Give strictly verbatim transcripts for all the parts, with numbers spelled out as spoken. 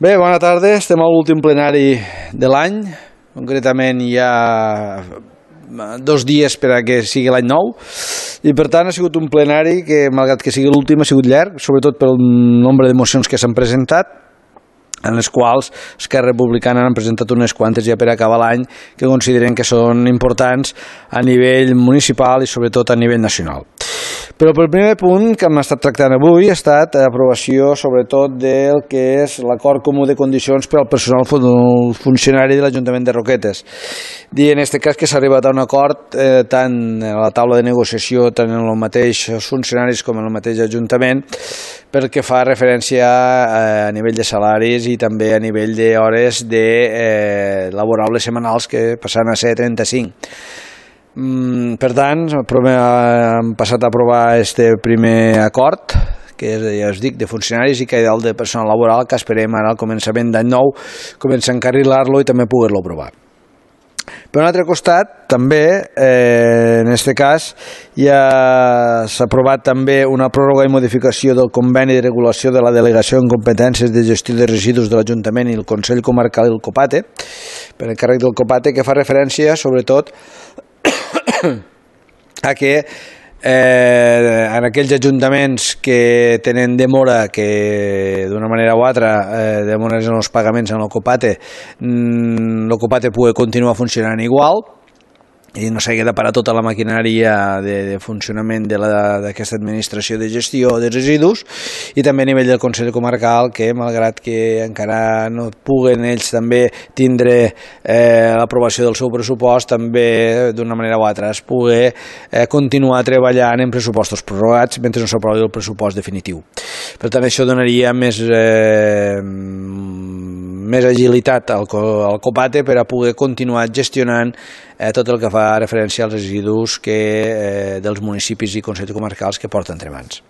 Bé, bona tarda. Estem a l'últim plenari de l'any. Concretament hi ha dos dies per a que sigui l'any nou i per tant ha sigut un plenari que, malgrat que sigui l'últim, ha sigut llarg, sobretot pel nombre de mocions que s'han presentat, en les quals Esquerra Republicana han presentat unes quantes ja per acabar l'any que consideren que són importants a nivell municipal i sobretot a nivell nacional. Però el primer punt que hem estat tractant avui ha estat l'aprovació sobretot del que és l'acord comú de condicions per al personal funcionari de l'Ajuntament de Roquetes. I en aquest cas que s'ha arribat a un acord eh, tant a la taula de negociació tant en els mateixos funcionaris com en el mateix Ajuntament pel que fa referència a, a nivell de salaris i també a nivell d'hores de, eh, laborables setmanals que passaran a ser trenta-cinc. Per tant, hem passat a aprovar este primer acord, que és, ja us dic, de funcionaris i que el de personal laboral, que esperem ara al començament d'any nou començar a encarrilar-lo i també poder-lo aprovar. Per un altre costat, també, eh, en aquest cas, ja s'ha aprovat també una pròrroga i modificació del conveni de regulació de la delegació en competències de gestió de residus de l'Ajuntament i el Consell Comarcal i el COPATE, per encàrrec del COPATE, que fa referència, sobretot, a que eh, en aquells ajuntaments que tenen demora, que d'una manera o altra eh, demores en els pagaments en el COPATE, el COPATE pugui continuar funcionant igual i no s'hagi de parar tota la maquinària de, de funcionament d'aquesta administració de gestió de residus, i també a nivell del Consell Comarcal, que malgrat que encara no puguen ells també tindre eh, l'aprovació del seu pressupost, també d'una manera o altra es pugui eh, continuar treballant en pressupostos prorrogats mentre no s'aprovi el pressupost definitiu. Per tant, això donaria més eh, més agilitat al, al COPATE per a poder continuar gestionant eh, tot el que fa referència als residus que, eh, dels municipis i consells comarcals que porten entre mans.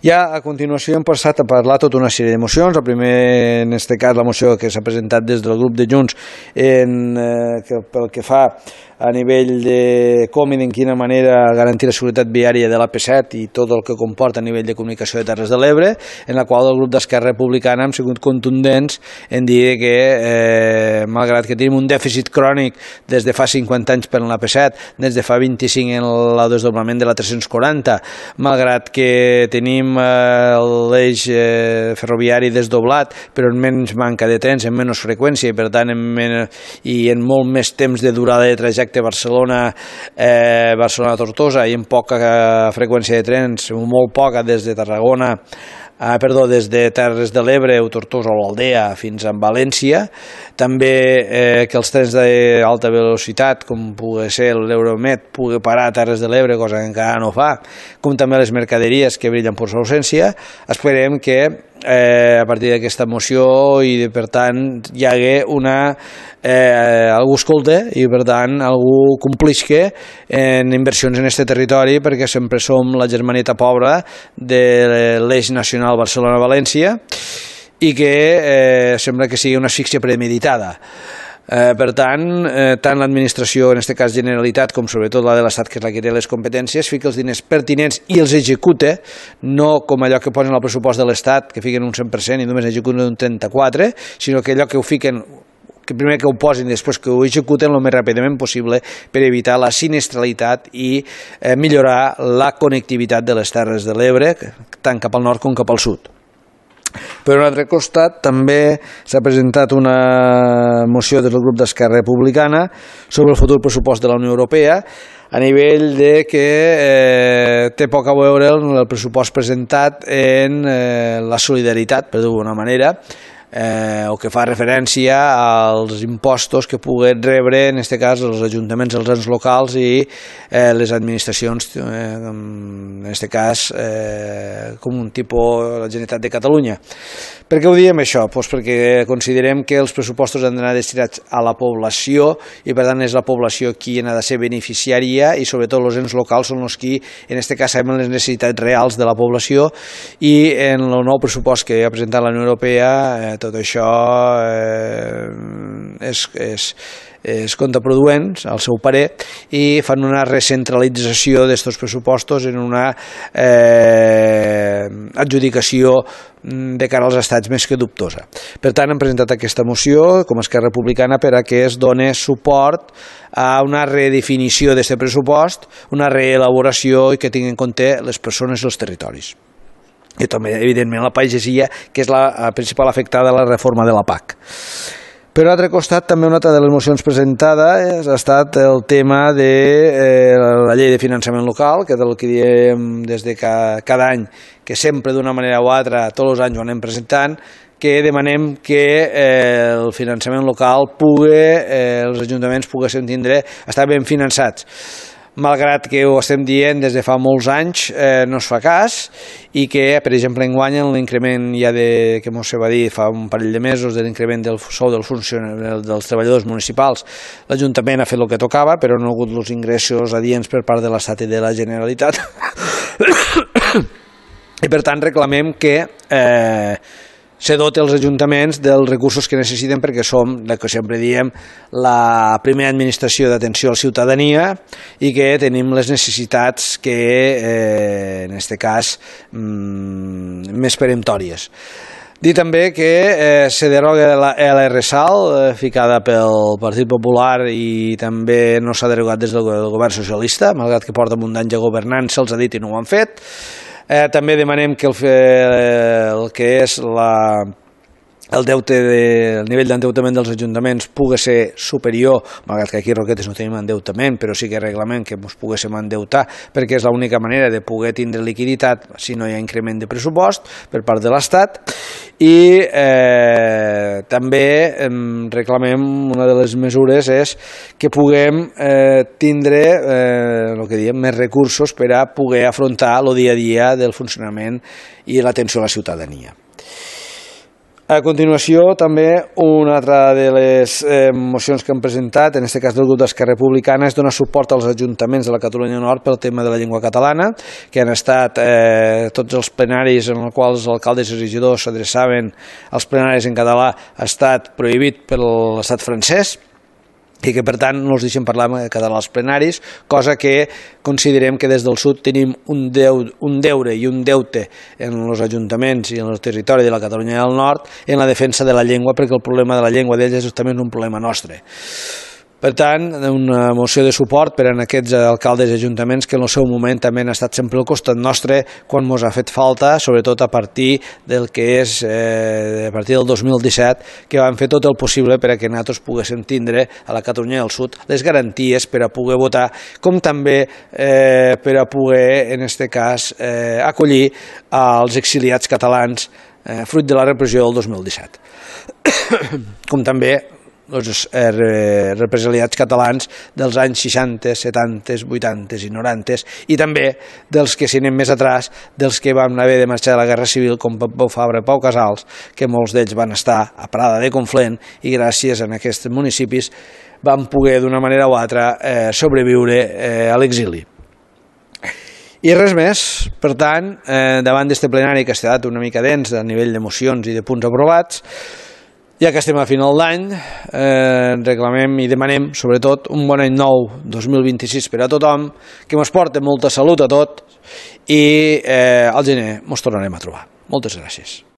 Ja a continuació hem passat a parlar tota una sèrie de mocions. El primer, en aquest cas, la moció que s'ha presentat des del grup de Junts en, eh, que, pel que fa a nivell de com i de quina manera garantir la seguretat viària de l'A P set i tot el que comporta a nivell de comunicació de Terres de l'Ebre, en la qual el grup d'Esquerra Republicana hem sigut contundents en dir que, eh, malgrat que tenim un dèficit crònic des de fa cinquanta anys per l'A P set, des de fa vint-i-cinc en el desdoblament de la tres-cents quaranta, malgrat que tenim eh, l'eix eh, ferroviari desdoblat, però en menys manca de trens, en menys freqüència i per tant en, men i en molt més temps de durada de trajecte Barcelona, eh, Barcelona-Tortosa i amb poca freqüència de trens, molt poca des de Tarragona, Ah, perdó, des de Terres de l'Ebre o Tortosa o l'Aldea fins a València. També eh, que els trens d'alta velocitat, com pugui ser l'Euromed, pugui parar a Terres de l'Ebre, cosa que encara no fa, com també les mercaderies que brillen per sa ausència. Esperem que eh, a partir d'aquesta moció i per tant hi hagué una eh, algú escolta i per tant algú complisca en inversions en aquest territori, perquè sempre som la germaneta pobra de l'eix nacional Barcelona-València i que eh, sembla que sigui una asfíxia premeditada. Eh, per tant, eh, tant l'administració, en aquest cas Generalitat, com sobretot la de l'Estat, que és la que té les competències, fica els diners pertinents i els executa, no com allò que posen al pressupost de l'Estat, que fiquen un cent per cent i només executen un trenta-quatre, sinó que allò que ho fiquen, que primer que ho posin i després que ho executen el més ràpidament possible per evitar la sinistralitat i eh, millorar la connectivitat de les Terres de l'Ebre, tant cap al nord com cap al sud. Per un altre costat, també s'ha presentat una moció des del grup d'Esquerra Republicana sobre el futur pressupost de la Unió Europea, a nivell de que eh, té poc a veure el pressupost presentat en eh, la solidaritat, per dir-ho d'una manera, Eh, o que fa referència als impostos que puguen rebre, en aquest cas, els ajuntaments, els ens locals i eh, les administracions, eh, en aquest cas, eh, com un tipus la Generalitat de Catalunya. Per què ho diem això? Pues perquè considerem que els pressupostos han d'anar destinats a la població i per tant és la població qui n'ha de ser beneficiària i sobretot els ens locals són els qui en aquest cas saben les necessitats reals de la població i en el nou pressupost que ha presentat la Unió Europea eh, tot això eh, és, és, és contraproduent, al seu parer, i fan una recentralització d'estos pressupostos en una eh, adjudicació de cara als estats més que dubtosa. Per tant, hem presentat aquesta moció com a Esquerra Republicana per a que es doni suport a una redefinició d'aquest pressupost, una reelaboració i que tingui en compte les persones i els territoris. I també, evidentment, la pagesia, que és la principal afectada a la reforma de la P A C. Per un altre costat, també una altra de les mocions presentades ha estat el tema de eh, la llei de finançament local, que és el que diem des de cada, cada any, que sempre d'una manera o altra, tots els anys ho anem presentant, que demanem que eh, el finançament local pugui, eh, els ajuntaments poguessin tindre, estar ben finançats. Malgrat que ho estem dient des de fa molts anys, eh, no es fa cas, i que, per exemple, enguany l'increment ja de, que mos se va dir fa un parell de mesos, de l'increment del sou dels funcionaris, dels treballadors municipals, l'Ajuntament ha fet el que tocava, però no ha hagut els ingressos adients per part de l'Estat i de la Generalitat. I per tant reclamem que eh, se doti els ajuntaments dels recursos que necessiten, perquè som, el que sempre diem, la primera administració d'atenció a la ciutadania i que tenim les necessitats que, eh, en aquest cas, mm, més peremptòries. Dir també que eh, se deroga la L R S A L, eh, ficada pel Partit Popular, i també no s'ha derogat des del govern socialista, malgrat que porta un any ja governant, se'ls ha dit i no ho han fet. Eh, també demanem que el, eh, el que és la, el, deute de, el nivell d'endeutament dels ajuntaments pugui ser superior, malgrat que aquí a Roquetes no tenim endeutament, però sí que reglament que ens poguéssim endeutar, perquè és l'única manera de poder tindre liquiditat si no hi ha increment de pressupost per part de l'Estat. I eh, també eh, reclamem, una de les mesures és que puguem eh, tindre eh, el que diem, més recursos per a poder afrontar el dia a dia del funcionament i l'atenció a la ciutadania. A continuació, també, una altra de les eh, mocions que hem presentat, en aquest cas del grup d'Esquerra Republicana, és donar suport als ajuntaments de la Catalunya Nord pel tema de la llengua catalana, que han estat eh, tots els plenaris en els quals els alcaldes i regidors s'adreçaven als plenaris en català, ha estat prohibit per l'estat francès, i que per tant no els deixen parlar en català als plenaris, cosa que considerem que des del sud tenim un, deu, un deure i un deute en els ajuntaments i en el territori de la Catalunya del Nord en la defensa de la llengua, perquè el problema de la llengua d'ells és justament un problema nostre. Per tant, una moció de suport per a aquests alcaldes i ajuntaments que en el seu moment també han estat sempre al costat nostre quan ens ha fet falta, sobretot a partir del que és eh, a partir del dos mil disset, que van fer tot el possible per a que nosaltres poguéssim tindre a la Catalunya del Sud les garanties per a poder votar, com també eh, per a poder, en aquest cas, eh, acollir als exiliats catalans eh, fruit de la repressió del dos mil disset. Com també els eh, represaliats catalans dels anys seixanta, setanta, vuitanta i noranta, i també dels que, si anem més atrás, dels que van haver de marxar de la Guerra Civil, com Pau Fabra i Pau Casals, que molts d'ells van estar a Prada de Conflent i gràcies a aquests municipis van poder d'una manera o altra eh, sobreviure eh, a l'exili. I res més. Per tant, eh, davant d'este plenari que ha estat una mica dens a nivell de mocions i de punts aprovats, ja que estem a final d'any, eh, reclamem i demanem, sobretot, un bon any nou dos mil vint-i-sis per a tothom, que ens porti molta salut a tot i eh, al gener ens tornarem a trobar. Moltes gràcies.